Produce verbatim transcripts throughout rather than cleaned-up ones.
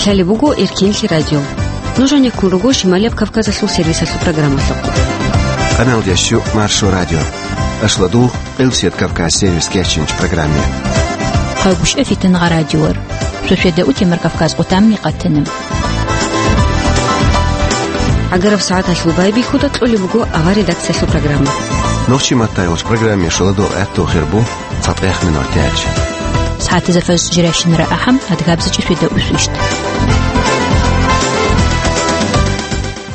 Гьале буго Эркенлъи радио. Нуж гьанеккун руго Шималияб Кавказалъул сервисалъул программалъухъ. Къамел ящу Маршо радио. Ашладул Къилсият Кавказ сервис кечинч программе. Хъагушев Фитнагъа радиор. Шошеда утемар Кавказ къутамни къатанам. Агараб сагӀаталъул байбихьуда кьолеб буго авар редакциялъул программа. Нохчи маттайолч программе шаладул гӀатту хирбу. ЦатӀех минутач. СагӀатазда фаз жиращинара ахӀам, адгабзичӀи фида усвищт.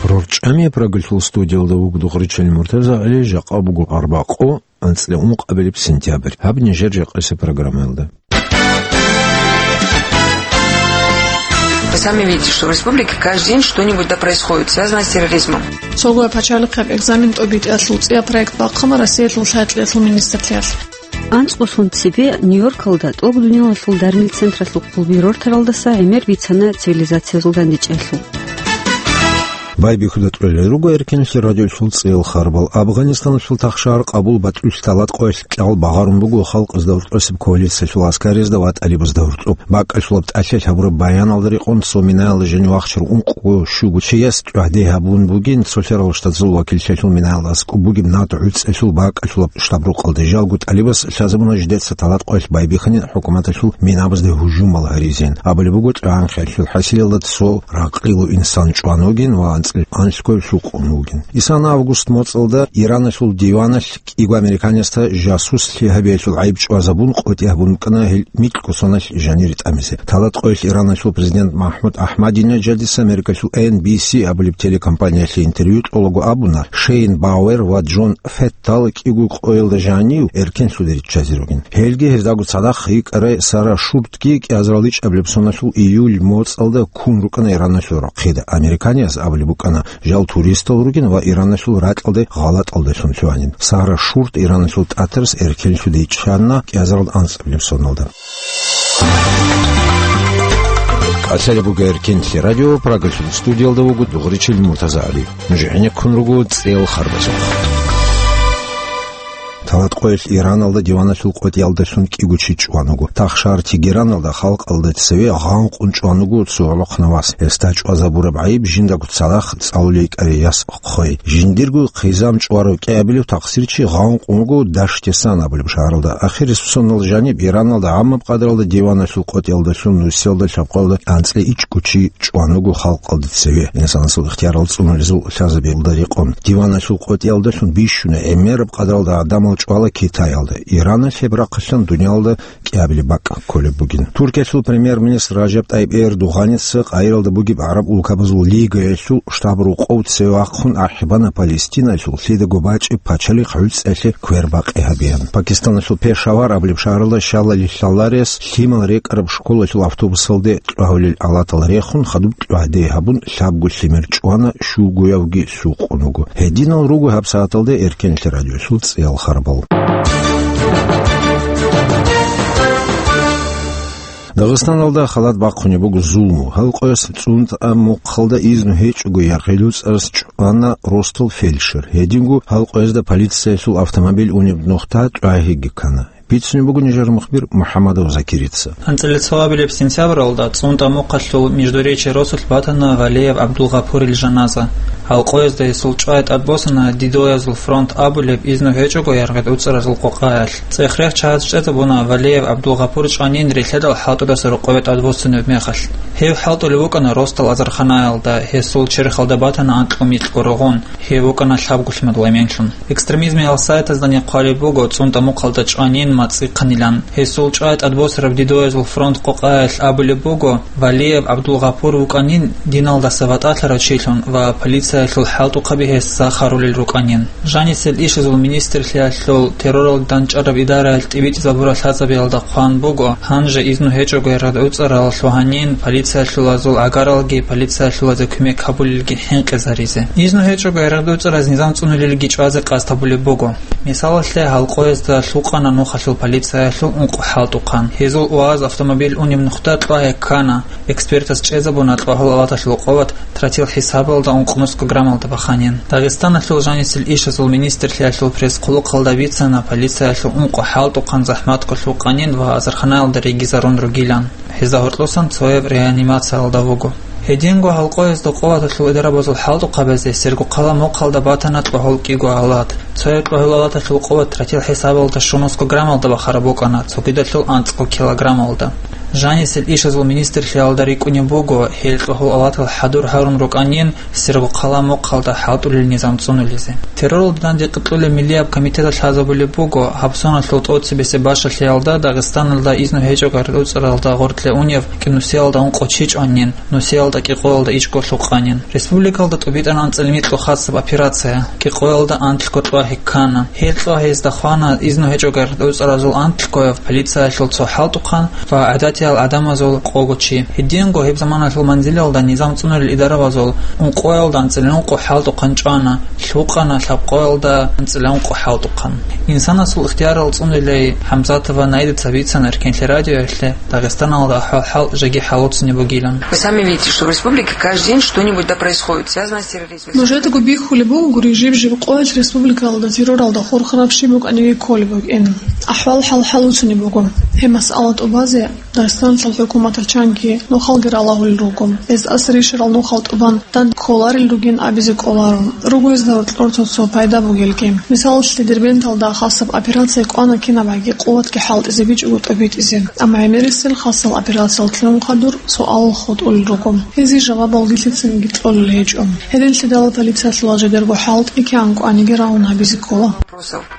РорчӀами прогулъул студиялда вугдухъричал Муртаза ГӀали, жакъа буго арбакъо, анцӀила ункъабилеб сентябрь. Гьаб нижер жакъасеб программаялда. Вы сами видите, что в республике каждый день что-нибудь да происходит, связанное с терроризмом. Цогуя пачалихъаб экзамен тӀобитӀиялъул цӀияб проект бахъана Россиялъул лъай-кьеялъул министрлъиялъ. АнцӀбосун цебе Нью-Йоркалда тӀокӀ дуниялалъул дармил централъул хъулби рортаралдаса гӀемер бицана цивилизациязул дандечӀелъул. Байбихьуда кьолел руго Эркенлъи радиолъул цӀел харбал. Афганистаналъул тахшагьар Къабул батӀулъ талат къоялъ кьал багъарун буго халкъ гьезда гьоркьосеб коалициялъул аскаризда ва тӀалибазда гьоркьоб. БакӀалъулаб тӀалъи гьабураб баяналда рекъон цо минаялда жани вахчарав ункъго щуго чияс тӀагӀде гьабун бугин, цо лъарал штатазул вакиллъиялъул минаялда аскӀоб бугеб над гӀуцӀелъул бакӀалъулаб штабрукъалда. Жалго тӀалибас лъазабуна жидеца талат къоялъ байбихьанин хӀукуматалъул минабазде гьужумал гьаризин. Абулеб буго, чӀванхъиялъул хӀасилалда цо ракъилу инсан чӀван вугин ва анцӀила анлъго лъукъун вугин. Исан август моцӀалда Ираналъул диваналъ кӀиго американецда жасуслъи гьабиялъул гӀайиб чӀвазабун, къотӀи гьабун букӀана гьел микьго соналъ жанир тӀамизе. Талат къоялъ Ираналъул президент МахӀмуд Ахмадинежадица Америкалъул Эн Би Си абулеб телекомпаниялъе интервью кьолаго абуна, Шейн Бауэр ва Джон Феттал кӀиго къоялда жанив эркенлъуде риччазе ругин. Гьелги гьездаго цадахъ йикӀарай Сара Шуртги кӀиазарал ичӀабилеб соналъул июль моцӀалда ккун рукӀана Ираналъул рахъида. Американияс абулеб букӀана, жал туристал ругин ва Ираналъул ракьалде гъалатӀалдалъун лъугьанин. Сара Шурт Ираналъул тӀатарас эркенлъуде чӀана кӀиазарал анцӀабилеб соналда. Къасалеб буго Эркенлъи радио, Прагалъул студиялда вуго дугъричил Муртаза ГӀали. Нуж гӀенеккун руго цӀел харбазухъ. Талат къоялъ Ираналда диваналъул къотӀиялдалъун кӀиго чи чӀван вуго. Тахшагьар Тегераналда халкъалда цеве гъанкъун чӀван вуго цо гӀолохъанав вас. Гьесда чӀвазабураб гӀайиб жиндаго цадахъ цӀалулей кӀарай яс хъвей. Жиндирго хъизан чӀварав кӀиабилев тахсирчи гъанкъун вуго Даштесан абулеб шагьаралда. Ахирисеб соналда жаниб Ираналда гӀаммаб къадралда диваналъул къотӀиялдалъун нусиялда лъабкъоялда анцӀила ичӀго чи чӀван вуго халкъалда цеве, инсанасул ихтиярал цӀунулезул лъазабиялда рекъон. Диваналъул къотӀиялдалъун бищунаб гӀемераб къадралда гӀадамал чӀвала Китаялда. Ираналъ гьеб рахъалъан дуниялда кӀиабилеб бакӀ кколеб бугин. Туркиялъул премьер-министр Ражаб ТӀайиб Эрдоганица Каиралда бугеб ГӀараб улкабазул лигаялъул штаб-рокъов цеве вахъун ахӀи бана Палестинаялъул лъидаго бачӀеб пачалихъ гӀуцӀиялъе квербакъи гьабеян. Пакистаналъул Пешавар абулеб шагьаралда щалали лъаларес лъимал рекӀараб школалъул автобусалде кьвагьулел алатал рехун, хадуб кьвагьде гьабун, лъабго лъимер чӀвана, щугоявги лъукъун вуго. Гьединал руго гьабсагӀаталда Эркенлъи радиолъул цӀиял харбал. Дагъистаналда халат бахъунеб буго зулму. Гьалкъояс ЦӀунтӀа мухъалда изну гьечӀого яргъел уцӀарас чӀвана ростал фельдшер. Гьединго гьалкъоязда полициялъул автомобиль унеб нухда тӀвагьиги ккана. Бицунеб буго нижер мухбир МухӀаммадов Закирица. АнцӀила цоабилеб сентябралда ЦӀунтӀа мухъалъул Междуречье росулъ батана Валеев ГӀабдулгъапурил жаназа. Гьалкъоязда гьесул чӀвай тӀадбосана Дидоязул фронт абулеб изну гьечӀого яргъел уцӀаразул къокъаялъ. ЦӀех-рех чагӀаз чӀезабуна Валеев ГӀабдулгъапур чӀванин рилъадал хӀалтӀудаса рокъове тӀадбоссунеб мехалъ. Гьев хӀалтӀулев вукӀана ростал азарханаялда, гьесул черхалда батана анкьго-микьго рогъон, гьев вукӀана лъабго лъимадул эменлъун. Экстремизмиял сайтаздани хъвалеб буго ЦӀунтӀа мухъалда чӀванин мацӀихъанилан. Гьесул чӀвай тӀадбосараб Дидоязул фронт къокъаялъ абулеб буго, Валиев ГӀабдулгъапур вукӀанин диналдаса ватӀалъарав чилъун ва полициялъул хӀалтӀухъаби гьес сахарулел рукӀанин. Жанисел ишазул министрлъиялъул терроралде дандчӀвараб идараялъ тӀибитӀизабураб лъазабиялда хъван буго, гьанже изну гьечӀого яргъел уцӀарал лъугьанин полициялъулазул гӀагаралги полициялъулазе кумек гьабулелги хӀинкъизаризе. Изну гьечӀого яргъел уцӀараз низам цӀунулелги чӀвазе къасд гьабулеб буго. Мисалалъе, гьалкъоязда лъукъана нухалъул полициялъул ункъо хӀалтӀухъан. Гьезул УАЗ автомобиль унеб нухда тӀвагье ккана. Экспертаз чӀезабуна тӀвагьул алаталъул къуват тротил хӀисабалда ункънусго граммалда баханин. Дагъистаналъул жанисел ишазул министрлъиялъул пресс-хъулухъалда бицана полициялъул ункъо хӀалтӀухъан захӀматго лъукъанин ва азарханаялда ригизарун ругилан. Гьезда гьоркьосан цояб реанимациялда вуго. Гьединго гьал къоязда къуваталъул идарабазул хӀалтӀухъабазе Сергокъала мухъалда батана кьогьол кӀиго алат. Цояб кьогьол алаталъул къуват ратил хӀисабалда щунусго граммалда бахараб букӀана, цогидалъул анцӀго килограммалда. Жанисел ишазул министрлъиялда рикӀкӀунеб буго, гьел кьогьол алатал хӀадур гьарун рукӀанин, Сергокъала мухъалда хӀалтӀулел низам цӀунулезе. Терроралда данде кьулеб миллияб комитеталъ лъазабулеб буго, гьаб соналъул тӀоцебесеб бащалъиялда Дагъистаналда изну гьечӀого гӀарцӀцӀаралда гъоркье унев кӀинусиялда ункъо чи чӀванин, нусиялда кӀикъоялда ичӀго лъукъанин. Республикалда тӀубитӀана анцӀила микьго хасаб операция, кӀикъоялда анлъго кьвагьи ккана. Гьел кьвагьиязда хвана изну гьечӀого гӀарцӀцӀаразул анлъгояв, полициялъул цо хӀалтӀухъан ва гӀадатиял гӀадамазул къого чи. Гьединго гьеб заманалъул манзилалда низам цӀунулел идарабазул ункъоялда анцӀила ункъо хӀалтӀухъан чӀвана, лъукъана лъабкъоялда анцӀила ункъо хӀалтӀухъан. Инсанасул ихтиярал цӀунулей ХӀамзатова Наидаца бицана Эркенлъи радиоялъе Дагъистаналда ахӀвал-хӀал жеги хӀалуцунеб бугилан. Вы сами видите, что в республике каждый день что-нибудь да происходит, связанное с терроризмом. Нужедаго бихьулеб буго гури жиб-жиб къоялъ республикалда терроралда хурхараб щиб букӀаниги кколеб букӀин. АхӀвал-хӀал хӀалуцунеб буго. Гьеб масъала тӀубазе Дагъистаналъул хӀукуматалъ чанги нухалги ралагьулел руго. Гьез асар ришарал нухал тӀубан данде кколарел ругин абизе кӀоларо. Руго гьезда гьоркьор цо-цо пайда бугелги. Мисалалъе, Дербенталда хасаб операция кӀвана кинабгӀаги къуватги хӀалтӀизе бичӀого тӀубитӀизе. Амма гӀемерисел хасал операциялъ лъугӀун хадур суалал хутӀулел руго. Гьезие жавабалги лъицаниги кьолел гьечӀо. Гьединлъидал полициялъула жидерго хӀалтӀи кигӀан кӀваниги рагӀун гьабизе ккола.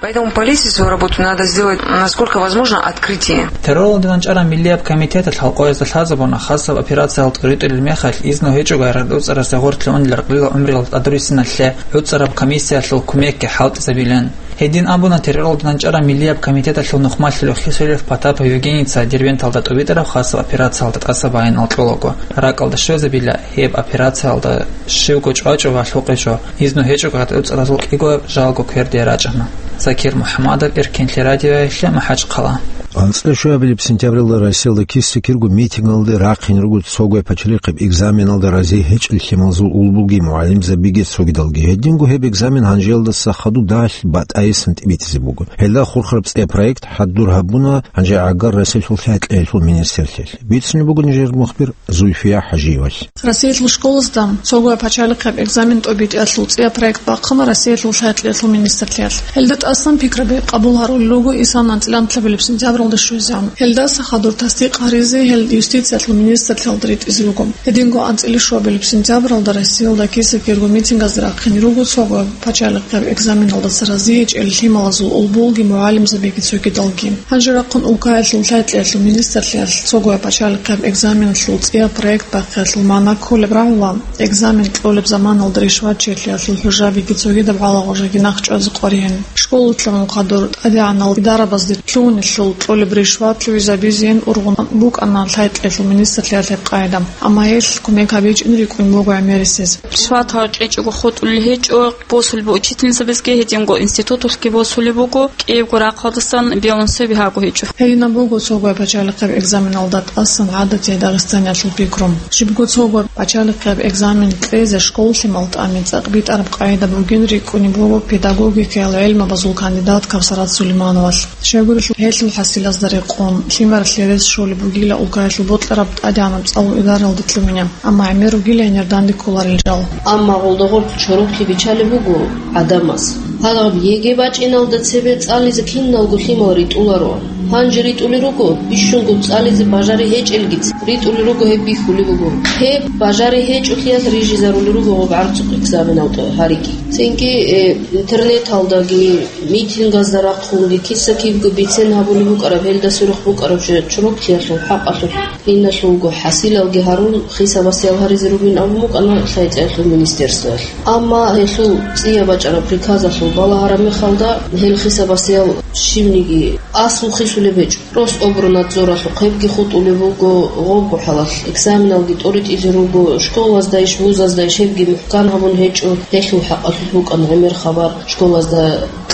Поэтому полиции свою работу надо сделать, насколько возможно, открытие. Терроралда данчӀараб миллияб комитеталъ гьал къоязда лъазабуна хасаб операциялда тӀуритӀулел мехалъ изну гьечӀого гӀарцӀцӀаразе гъоркье унел ракьалил гӀумруялда тӀадруссиналъе гӀуцӀараб комиссиялъул кумекги хӀалтӀизабилан. Гьедин абуна терроралда данчӀараб миллияб комитеталъул нухмалъулев Хисуилов Потапов Евгенийица Дербенталда тӀубитӀараб хасаб операциялда тӀаса баянал кьолаго, ракӀалда щвезабила гьеб операциялда щивго чӀвачӀо ва лъукъичӀо. Изну гьечӀого гӀарцӀцӀаразул кӀиго жалго кверде рачӀана. Закир МухӀамадов, Эркенлъи радиоялъе, МахӀачхъала. АнцӀила щуабилеб сентябралда Россиялда киса-кирго митингалде рахъин руго цогояб пачалихъаб экзаменалда разие гьечӀел лъималазул улбуги мугӀалимзабиги цогидалги. Гьединго гьеб экзамен гьанжеялдаса хадуб дагьалъ батӀайисан тӀибитӀизе буго. Гьелда хурхараб цӀияб проект хӀадур гьабуна гьанже гӀагар Россиялъул лъай-кьеялъул министрлъиялъе. Бицунеб буго нижер мухбир Зульфия ХӀажиевалъ. Россиялъул школазда цогояб пачалихъаб экзамен тӀобитӀиялъул цӀияб проект бахъана Россиялъул лъай-кьеялъул министрлъиялъ. Гьелда тӀасан пикраби къабул гьарулел руго исан анцӀила анлъабилеб сентябралда щвезегӀан. Гьелдаса хадур тасдикъ гьаризе гьел юстициялъул министрлъиялда ритӀизе руго. Гьединго анцӀила щуабилеб сентябралда Россиялда киса-кирго митингазда рахъине руго цогояб пачалихъаб экзаменалдаса разие гьечӀел лъималазул улбуги мугӀалимзабиги цогидалги. Гьанже рахъун улкаялъул лъай-кьеялъул министрлъиялъ цогояб пачалихъаб экзаменалъул цӀияб проект бахъиялъул магӀна кколеб рагӀула, экзамен кьолеб заманалда ришватчиялъул хӀужабиги цогидаб гӀалагъужаги нахъчӀвазе къваригӀин. Школа лъугӀун хадур тӀадегӀанал идарабазде лъугьунелъул кьолеб ришват лъугӀизабизейин ургъун букӀана лъай-кьеялъул министрлъиялъ гьеб къагӀида, амма гьелъ кумек гьабичӀин рикӀкӀун буго гӀемерисез. Ришват гьаркьичӀого хутӀулел гьечӀо, босулеб учительницабазги гьединго институталъги босулеб буго, кӀиябго рахъалдасан бегьун цебе гьаго гьечӀо. Гьединаб буго цогояб пачалихъаб экзаменалда тӀасан гӀадатияб Дагъистаниялъул пикру. Щибго цогояб пачалихъаб экзамен кьезе школалъе малтӀани цӀакъ битӀараб къагӀида бугин рикӀкӀунеб буго педагогикаял гӀелмабазул кандидат Кавсарат Сулеймановалъ. Щайгурелъул гьелъул хӀасилазда рекъон, лъимералъе рес щолеб бугила улкаялъул бокьараб тӀадегӀанаб цӀалул идаралде лъугьине, амма гӀемер ругилайинир данде кколарел жал. Амма гъолда гъоркь чороклъи биччалеб буго гӀадамаз. Гьалаб ЕГЭ бачӀиналда цебе цӀализе киналго лъимал ритӀуларо. Гьанже ритӀулел руго, бищунго цӀализе бажари гьечӀелгиц, ритӀулел руго гьеб бихьулеб буго. Гьеб бажари гьечӀолъиялъ рижизарулел руго гъоб гӀарцухъ экзаменал тӀо гьариги. Цинги, э, интернеталдаги, митингазда рахъунги киса-кибго бицен гьабулеб букӀараб, гьелда сверухъ букӀараб жо чороклъиялъул хӀакъалъулъ. Иналъулго хӀасилалги гьарун, хисабасиял гьаризе ругин абун букӀана лъай-кьеялъул министерствоялъ. Амма гьелъул цӀияб бачӀараб приказалъул балагьараб мехалда, гьел хисабасиял щибниги аслу хисулеб гьечӀо. Рособрнадзоралъухъ гьебги хутӀулеб буго, гъобго хӀалалъ экзаменалги тӀоритӀизе руго, школаздайищ, вузаздайищ гьебги мухӀкан гьабун гьечӀо, гьелъул хӀакъалъулъ букӀана гӀемер хабар школазда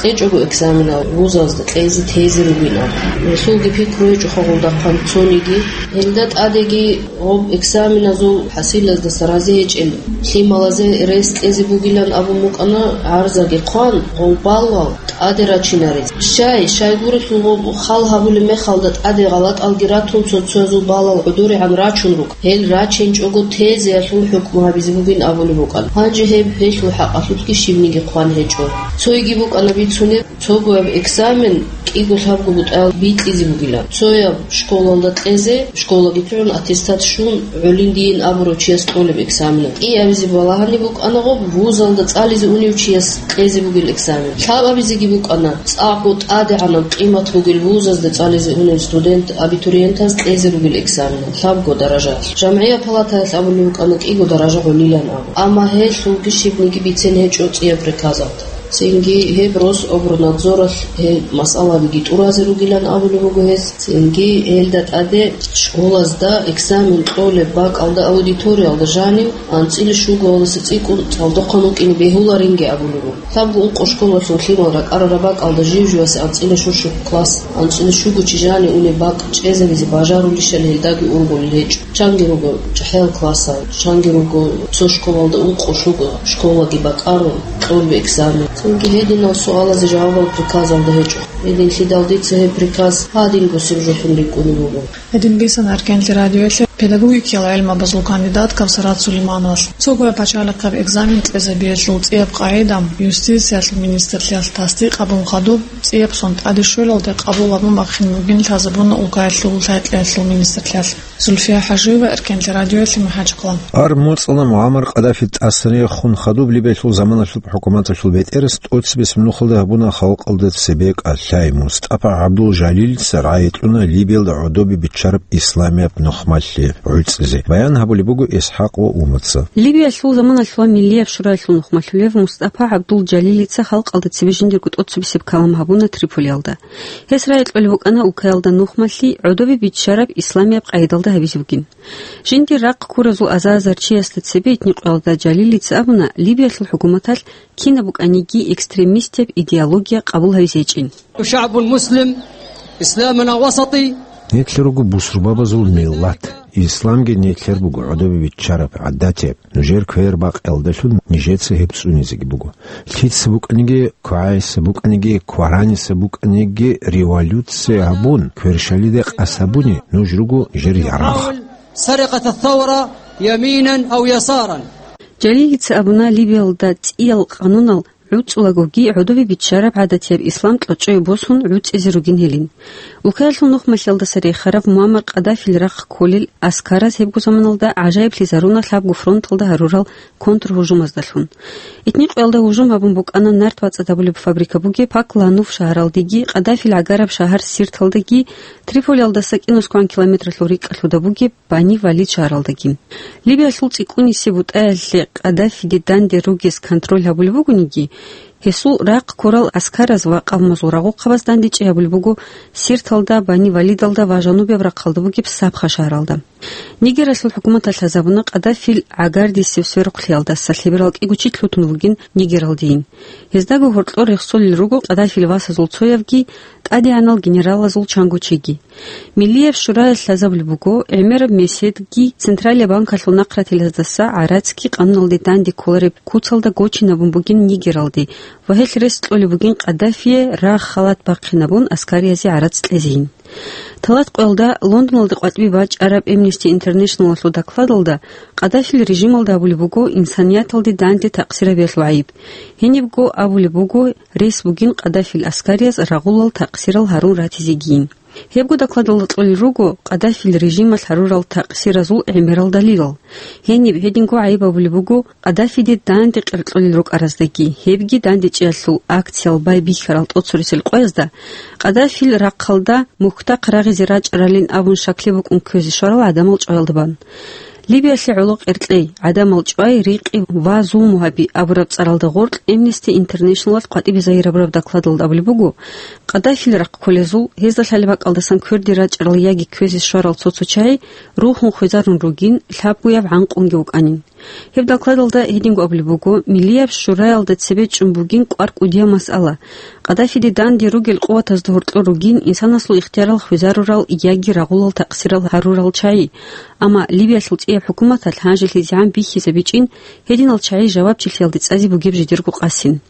КьечӀого экзаменал вузазда кьезе тезе ругин абун. Гьелъулги пикру гьечӀо хагъулдахъан цониги. Гьелда тӀадеги гъоб экзаменазул хӀасилаздаса рази гьечӀел лъималазе рес кьезе бугилан абун букӀана, гӀарзаги хъван, гъов баллал тӀаде рачинарез. Щай, щайгурелъул гъоб хал гьабулеб мехалда тӀаде гъалатӀалги ратун, цо-цоязул баллал гӀодорегӀан рачун руго. Гьел рачинчӀого, тезеялъул хӀукму гьабизе бугин абулеб букӀана. Гьанже гьеб гьелъул хӀакъалъулъги щибниги хъван гьечӀо. Цойги букӀана бицунеб, цогояб экзамен кӀиго-лъабго бутӀаялда бикьизе бугилан. Цояб школалда кьезе, школаги лъугӀун, аттестат щун, гӀолин дийин абурав чияс кьолеб экзамен. КӀиабизе балагьани букӀана гъоб, вузалда цӀализе унев чияс кьезе бугел экзамен. Лъабабизеги букӀана, цӀакъго тӀадегӀанаб къимат бугел вузазда цӀализе унев студент, абитуриентаз кьезе ругел экзамен, лъабго даража. ЖамгӀияб палатаялъ абулеб букӀана кӀиго даража гӀолилан абу. Амма гьелъулги щибниги бицен гьечӀо цӀияб приказалда. Цинги гьеб Рособрнадзоралъ гьел масъалабиги тӀуразе ругилан абулеб буго гьес. Цинги гьелда тӀаде школазда экзамен кьолеб бакӀалда аудиториялда жанив анцӀила щугоялдаса цӀикӀкӀун цӀалдохъан вукӀине бегьуларинги абулеб буго. Лъабго ункъо школалъул лъимал ракӀарараб бакӀалда жив-живасе анцӀила щущу класс, анцӀила щуго чи жанив унеб бакӀ чӀезабизе бажарулищали гьелдаги ургъулел гьечӀо. Чанги руго чӀахӀиял классал, чанги руго цо школалда ункъо щуго школаги бакӀарун кьолеб экзамен. Цинги гьединал суалазе жавабал приказалда гьечӀо. Гьединлъидал дица гьеб приказ гьадин гусеб жо хӀинрикӀкӀунеб буго. Гьедин бицана Эркенлъи радиоялъе педагогикиял гӀелмабазул кандидат Кавсарат Сулеймановалъ. Цогояб пачалихъаб экзамен кьезабиялъул цӀияб къагӀида юстициялъул министрлъиялъ тасдикъ гьабун хадуб, цӀияб сон тӀаде щвелалде къабул гьабун бахъин бугин лъазабуна улкаялъул лъай-кьеялъул министрлъиялъ. Зульфия ХӀажиева, Эркенлъи радиоялъе, МахӀачхъала. Гьар моцӀалда Муаммар Къаддафи тӀасаре хун хадуб Либиялъул заманалъуб хӀукуматалъул бетӀерас тӀоцебесеб нухалда гьабуна халкъалда цебе кӀалъай. МустӀафа ГӀабдул-Жалилица рагӀи кьуна Либиялда гӀодобе биччараб исламияб нухмалъи гӀуцӀизе. Баян гьабулеб буго ИсхӀакъ ва Умаца. Либиялъул заманалъ ва Миллияб шураялъул нухмалъулев МустӀафа ГӀабдул-Жалилица халкъалда цебе жиндирго тӀоцебесеб калам гьабуна Триполиялда. Гьес рагӀи кьолеб букӀана улкаялда нухмалъи гӀодобе биччараб исламияб къагӀидалда гьабизе бугин. Жиндир рахъ ккуразул азар-азар чиясда цебе итни къоялда Жалилица абуна, Либиялъул хӀукуматалъ кинаб букӀаниги экстремистияб идеология къабул гьабизе гьечӀин. شعب مسلم، إسلامنا وسطي. Нилъер руго бусурбабазул миллат. Исламги нилъер буго гӀодобе биччараб, гӀадатияб. Нужер квер бакъиялдалъун нижеца гьеб цӀунизеги буго. Лъица букӀаниги, квайса букӀаниги, квараниса букӀаниги революция гьабун, кверщалида къас гьабуни нуж руго нижер ярагъ. سرقة الثورة يمينا أو يسارا. Жалилица абуна, Либиялда цӀиял къанунал гӀуцӀулагоги гӀодобе биччараб гӀадатияб ислам кьочӀое босун гӀуцӀизе ругин гьелин. Улкаялъул нухмалъиялдаса рехараб Муаммар Къаддафил рахъ кколел аскараз гьебго заманалда гӀажаиблъизаруна лъабго фронталда гьарурал контргьужумаздалъун. Итни къоялда гьужум гьабун букӀана нарт бацӀцӀад гьабулеб фабрика бугеб Пак Лануф шагьаралдеги, Къаддафил гӀагараб шагьар Сирталдаги, Триполиялдаса кӀинусгоан километралъул рикӀкӀалъуда бугеб Бани Валид шагьаралдаги. Либиялъул цӀикӀкӀунисеб бутӀаялъе Къаддафиде данде ругез контроль гьабулеб бугониги, гьесул рахъ ккурал аскараз ва къавмазул рагъухъабаз дандечӀей гьабулеб буго Сирталда, Бани Валидалда ва жанубияб рахъалда бугеб Сабха шагьаралда. Нигералъул хӀукуматалъ лъазабуна Къаддафил гӀагардисеб сверухълъиялдаса лъеберал кӀиго чи лъутун вугин Нигералдейин. Гьездаго гьоркьор рехсолел руго Къаддафил васазул цоявги, тӀадегӀанал генералазул чанго чиги. Миллияб шураялъ лъазабулеб буго, гӀемераб меседги Централияб банкалъул нахъратилаздаса гӀарацги къануналде данде кколареб куцалда гочинабун бугин Нигералде ва гьелъ рес кьолеб бугин Къаддафие рагъ-халат бахъинабун аскариязе гӀарац кьезейин. Талат къоялда Лондоналде къватӀибе бачӀараб Amnesty International-алъул докладалда Къаддафил режималда гьабулеб буго инсанияталде данде такъсирабиялъул гӀайиб. Гьенибго абулеб буго, рес бугин Къаддафил аскарияз рагъулал такъсирал гьарун ратизегийин. Гьебго докладалда кьолел руго Къаддафил режималъ гьарурал такъсиразул гӀемерал далилал. Гьениб гьединго гӀайиб гьабулеб буго Къаддафиде данде къеркьолел рукӀараздаги, гьебги дандечӀеялъул акциял байбихьарал тӀоцересел къоязда Къаддафил рахъалда мухьдахъ рагъизе рачӀаралин абун щаклъи букӀун кквезе щварал гӀадамал чӀваялда бан. Либиялъе гӀоло къеркьей, гӀадамал чӀвай, рикъи ва зулму гьаби абураб цӀаралда гъоркь Amnesty International-алъ къватӀибе загьирабураб докладалда абулеб буго, Къаддафил рахъ кколезул, гьезда лъалеб бакӀалдасан кверде рачӀарал яги кквезе щварал цо-цо чагӀи рухун хвезарун ругин, лъабгояб гӀанкъунги вукӀанин. Гьеб докладалда гьединго абулеб буго, Миллияб шураялда цебе чӀун бугин кӀвар-кӀудияб масъала. Къаддафиде данде ругел къуватазда гьоркьор ругин инсанасул ихтиярал хвезарурал яги рагъулал такъсирал гьарурал чагӀи. Амма Либиялъул цӀияб хӀукуматалъ гьанжелъизегӀан бихьизабичӀин гьединал чагӀи жавабчилъиялде цӀазе бугеб жидерго къасин.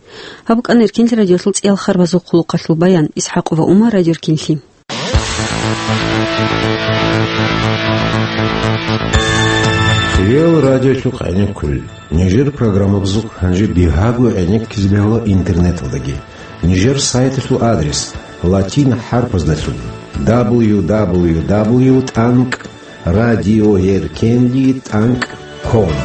Гьаб букӀана Эркенлъи радиолъул цӀиялъар базухъ хъулухъалъул баян. ИсхӀакъова Умар, Радио Эркенлъи. Хириял радиолъухъ гӀенеккулел. Нижер программабазухъ гьанже бигьаго гӀенеккизе бегьула интернеталдаги. Нижер сайталъул адрес латин хӀарпаздалъун: дабл ю дабл ю дабл ю тӀанкӀ радио эркенлъи тӀанкӀ ком.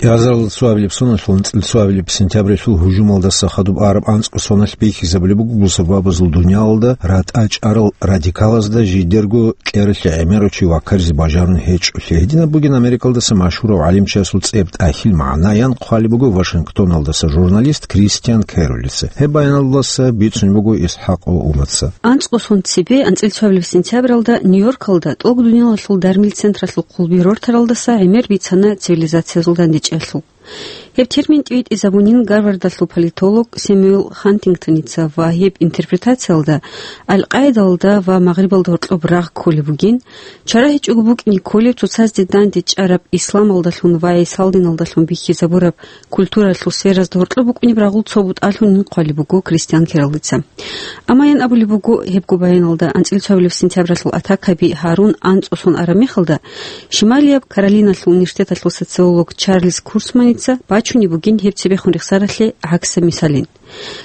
КӀиазарал цоабилеб соналъул анцӀил цоабилеб сентябралъул гьужумалдаса хадуб араб анцӀго соналъ бихьизабулеб буго бусурбабазул дуниялалда ратӀа чӀарал радикалазда жидерго кьералъе гӀемерав чи ваккаризе бажарун гьечӀолъи. Гьединаб бугин Америкалдаса машгьурав гӀалимчиясул цӀеб тӀахьил магӀнаян хъвалеб буго Вашингтоналдаса журналист Кристиан Керолица. Гьеб баяналдаса бицун буго ИсхӀакъ Умаца. АнцӀго сон цебе, анцӀил цоабилеб сентябралда, Нью-Йоркалда тӀолго дуниялалъул дармил централъул хъулби рортаралдаса гӀемер бицана цивилизациязул дандечӀеялъул. Гьеб термин тӀибитӀизабунин Гарвардалъул политолог Сэмюэл Хантингтоница ва гьеб интерпретациялда Аль-Къаидалда ва Магърибалда гьоркьоб рагъ кколеб бугин, чара гьечӀого букӀине кколеб цоцазде данде чӀараб исламалдалъун ва гӀисалдиналдалъун бихьизабураб культуралъул сферазда гьоркьоб букӀунеб рагъул цо бутӀалъунин хъвалеб буго Кристиан Керолица. Амма ян абулеб буго, гьебго баяналда анцӀил цоабилеб сентябралъул атакаби гьарун анцӀго сон араб мехалда, Шималияб Каролиналъул университеталъул социолог Чарльз Курцманица бачунеб бугин гьеб цебехун рехсаралъе гӀаксаб мисалин.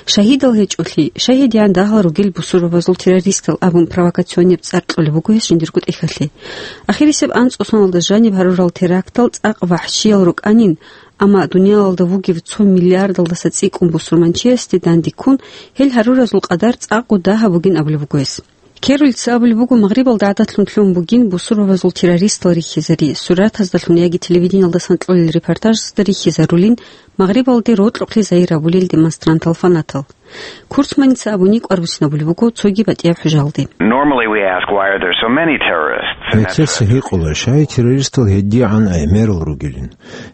Шагьидал гьечӀолъи, шагьидиян дагьал ругел бусурбабазул террористал абун провокационеб цӀар кьолеб буго гьес жиндирго тӀехьалъе. Ахирисеб анцӀго соналда жаниб гьарурал терактал цӀакъ вахӀщиял рукӀанин, амма дуниялалда вугев цо миллиардалдаса цӀикӀкӀун бусурманчиясде данде ккун, гьел гьаруразул къадар цӀакъго дагьаб бугин абулеб буго гьес. Керолица абулеб буго, Магърибалда гӀадатлъун лъун бугин бусурбабазул террористал рихьизари, суратаздалъун яги телевидениялдасан кьолел репортажазда рихьизарулин Магърибалде рокьукълъи загьир гьабулел демонстрантал, фанатал. Курцманица абуни кӀвар буссинабулеб буго цоги батӀияб хӀужалде. Normally we ask, "Why are there so many terrorists?" And that's Гьелъеса гьикъула, щай террористал гьедигӀан гӀемерал ругилин.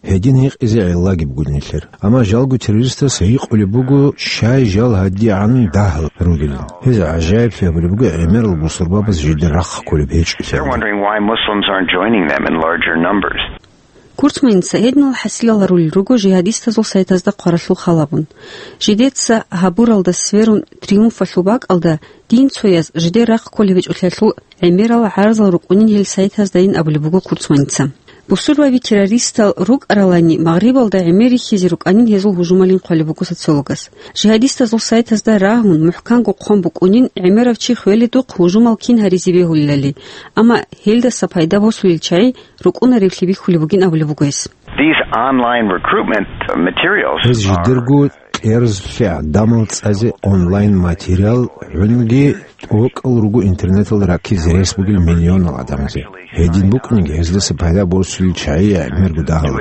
Гьедин гьикъизе гӀиллаги бугин нилъер. Амма жалго террористас гьикъулеб буго, щай жал гьадигӀан дагьал ругилин. Гьез гӀажаиблъи гьабулеб буго гӀемерал бусурбабаз жидер рахъ кколеб гьечӀолъи. They're wondering why Muslims aren't joining them in larger numbers. Курцманица гьединал хӀасилал гьарулел руго жигьадистазул сайтазда хъваралъул хал абун. Жидеца гьабуралда сверун триумфалъул бакӀалда дин цояз жидер рахъ кколеб гьечӀолъиялъул гӀемерал гӀарзал рукӀунин гьел сайтаздайин абулеб буго Курцманица. Бусурбаби террористал рукӀаралани, Магърибалда гӀемер рихьизе рукӀанин гьезул гьужумалин хъвалеб буго социологас. Жигьадистазул сайтазда рагьун, мухӀканго хъван букӀунин гӀемерав чи хвеледухъ гьужумал кин гьаризе бегьулилали, амма гьелдаса пайда босулел чагӀи рукӀунареблъи бихьулеб бугин абулеб буго гьес. These online recruitment materials Гьез are жидерго кьерзлъи гӀадамал цӀазе онлайн материал гӀунги тӀокӀал руго интернеталда раккизе рес бугел миллионал гӀадамазе. Гьедин букӀунги гьездаса пайда босулел чагӀи гӀемерго дагьал.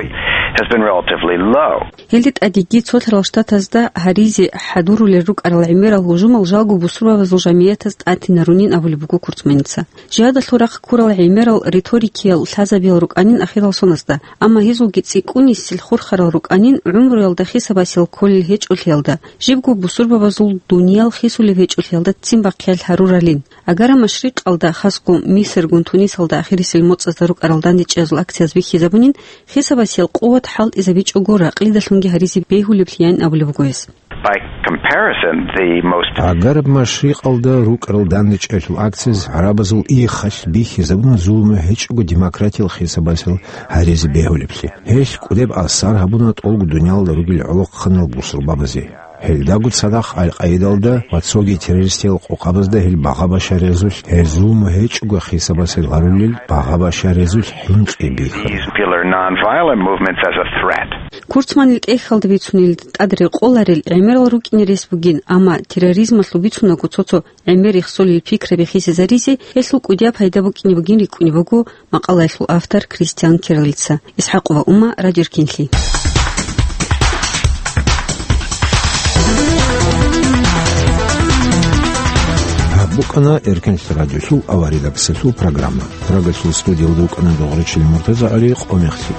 Has been relatively low. Гьелде тӀадеги цолъарал штатазда гьаризе хӀадурулел рукӀарал гӀемерал гьужумал жалго бусурбабазул жамиятаз тӀатинарунин абулеб буго Курцманица. Жигьадалъул рахъ ккурал гӀемерал риторикиял лъазабиял рукӀанин ахирал соназда, амма гьезулги цӀикӀкӀунисел хурхарал рукӀанин гӀумруялда хисабасел кколел гьечӀолъиялда, жибго бусурбабазул дуниял хисулеб гьечӀолъиялда ццин бахъиялъ гьаруралин. Агара Машрикъалда, хасго Мисиргун Тунисалда ахирисел моцӀазда рукӀарал дандечӀезул акцияз бихьизабунин, хисабасел къуват хӀалтӀизабичӀого ракълидалъунги гьаризе бегьулеблъиян абулеб буго гьес. By comparison, the most Гьагар Машрикъалда рукӀарал дандечӀелъул акцияз гӀарабазул иххалъ бихьизабуна зулму гьечӀого демократиял хисабасел гьаризе бегьулеблъи. Гьелъ кӀудеб асар гьабуна тӀолго дуниялда ругел гӀолохъанал бусурбабазе. Гьелдаго цадахъ Аль-Къаидалда ва цоги террористиял къокъабазда гьел багъа-башарезулъ, гьел зулму гьечӀого хисабасел гьарулел багъа-башарезулъ хӀинкъи бихьана. These people are non-violent movements as a threat. Курцманил тӀехьалда бицунел тӀад рекъоларел гӀемерал рукӀине рес бугин, амма терроризмалъул бицунаго цо-цо гӀемер рехсолел пикраби хисизаризе гьелъул кӀудияб пайда букӀине бугин рикӀкӀунеб буго макъалаялъул автор Кристиан Керлица. ИсхӀакъова Умма, Радио Эркенлъи. Гьаб букӀана Эркенлъи радиолъул аварагасалъул программа. Прагалъул студиялда вукӀана Догърачил Муртаза ГӀали, къо мехлъи.